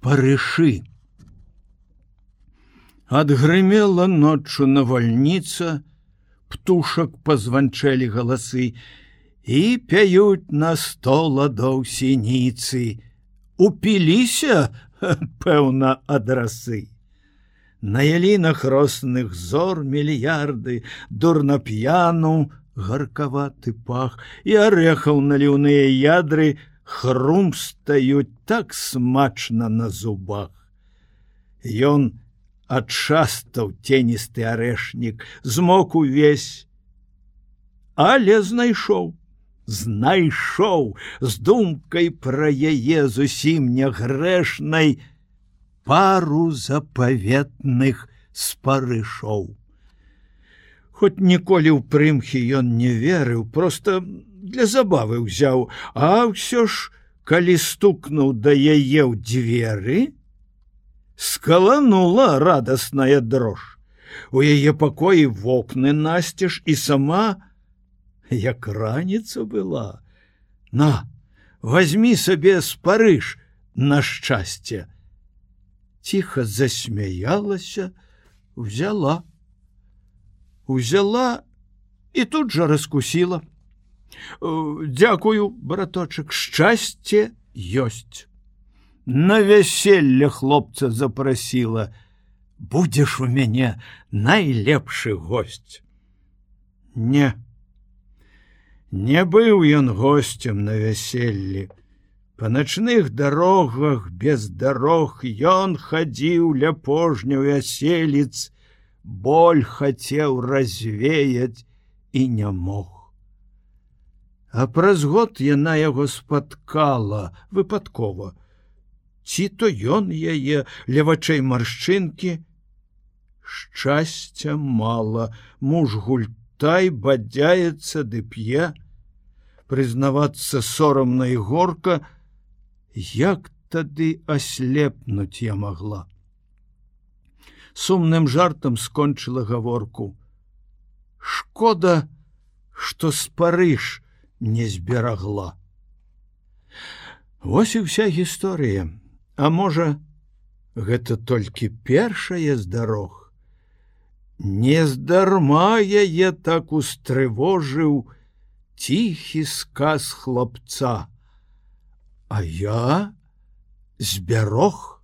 Спарышы. Адгрымела ноччу навальніца, птушак пазванчэлі галасы, і пяюць на 100 ладоў сініцы. Упіліся, пэўна, ад расы. На ялінах росных зор мільярды, дурнап'яну гаркаваты пах, і арэхаў наліўныя ядры хрумстаюць так смачна на зубах. Ён адшастаў ценісты арэшнік, змок увесь, але знайшоў з думкай пра яе зусім нягрэшнай пару запаветных спарышоў. Хоць ніколі ў прымхі ён не верыў, проста для забавы ўзяў, а ўсё ж, калі стукнуў да яе ў дзверы, скаланула радасная дрож. У яе пакоі вокны насцеж, і сама, як раніца была. На, вазьмі сабе спарыш на шчасце. Ціха засмяялася, взяла і тут жа раскусіла. Дзякую, браточак, шчасце ёсць. На вяселле хлопца запрасіла. Будзеш у мяне найлепшы госць. Не быў ён госцем на вяселлі. Па начных дарогах без дарог ён хадзіў ля пожняў вяселіц, боль хацеў развеяць і не мог. А праз год яна яго спаткала выпадкова. Ці то ён яе, ля вачэй маршчынкі. Шчасця мала, муж гультай бадзяецца ды п'е. Прызнавацца сорамна і горка, як тады аслепнуць я магла. Сумным жартам скончыла гаворку. Шкода, што спарыш не зберагла. Вось і ўся гісторыя. А можа, гэта толькі першая з дарог. Нездарма яе так устрывожыў ціхі сказ хлапца. А я зберог.